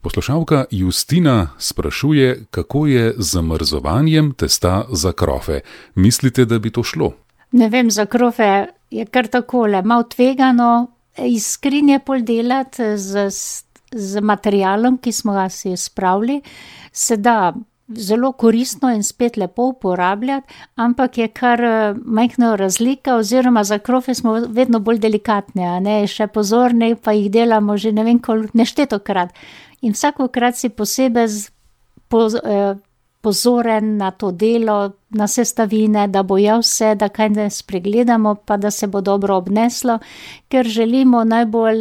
Poslušalka Justina sprašuje, kako je z zamrzovanjem testa za krofe. Mislite, da bi to šlo? Ne vem, za krofe je kar takole, malo tvegano iz skrinje pol delati z materialom, ki smo ga si spravili, se da zelo koristno in spet lepo uporabljati, ampak je kar majhna razlika, oziroma za krofe smo vedno bolj delikatni, a ne, še pozorni, pa jih delamo že ne vem koliko, neštetokrat. In vsakokrat si posebej pozoren na to delo, na sestavine, da bo vse, da kaj ne spregledamo, pa da se bo dobro obneslo, ker želimo najbolj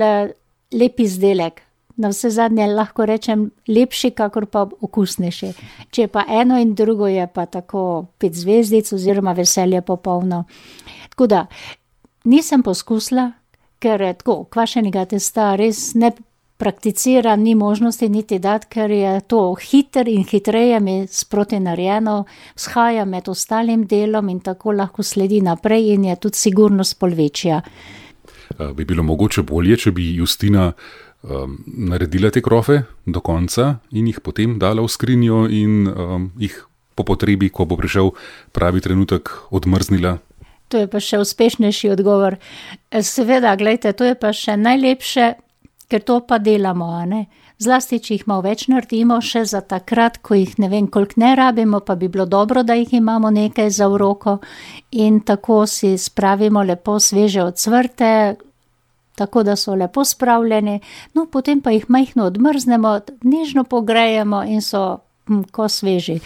lep izdelek. Na vse zadnje lahko rečem lepši, kakor pa okusnejši. Če pa eno in drugo je pa tako 5 zvezdic oziroma veselje popolno. Tako da, nisem poskusila, ker tako kvašenega testa res ne prakticiram, ni možnosti niti dati, ker je to hiter in hitreje mi sproti narejeno, vzhaja med ostalim delom in tako lahko sledi naprej in je tudi sigurnost pol večja. Bi bilo mogoče bolje, če bi Justina naredila te krofe do konca in jih potem dala v skrinjo in jih po potrebi, ko bo prišel pravi trenutek, odmrznila? To je pa še uspešnejši odgovor. Seveda, glejte, to je pa še najlepše, ker to pa delamo, a ne. Zlasti, če jih malo več naredimo, še za takrat, ko jih ne vem koliko ne rabimo, pa bi bilo dobro, da jih imamo nekaj za v roko in tako si spravimo lepo sveže ocvrte, tako da so lepo spravljeni, no potem pa jih majhno odmrznemo, nežno pogrejemo in so ko sveži.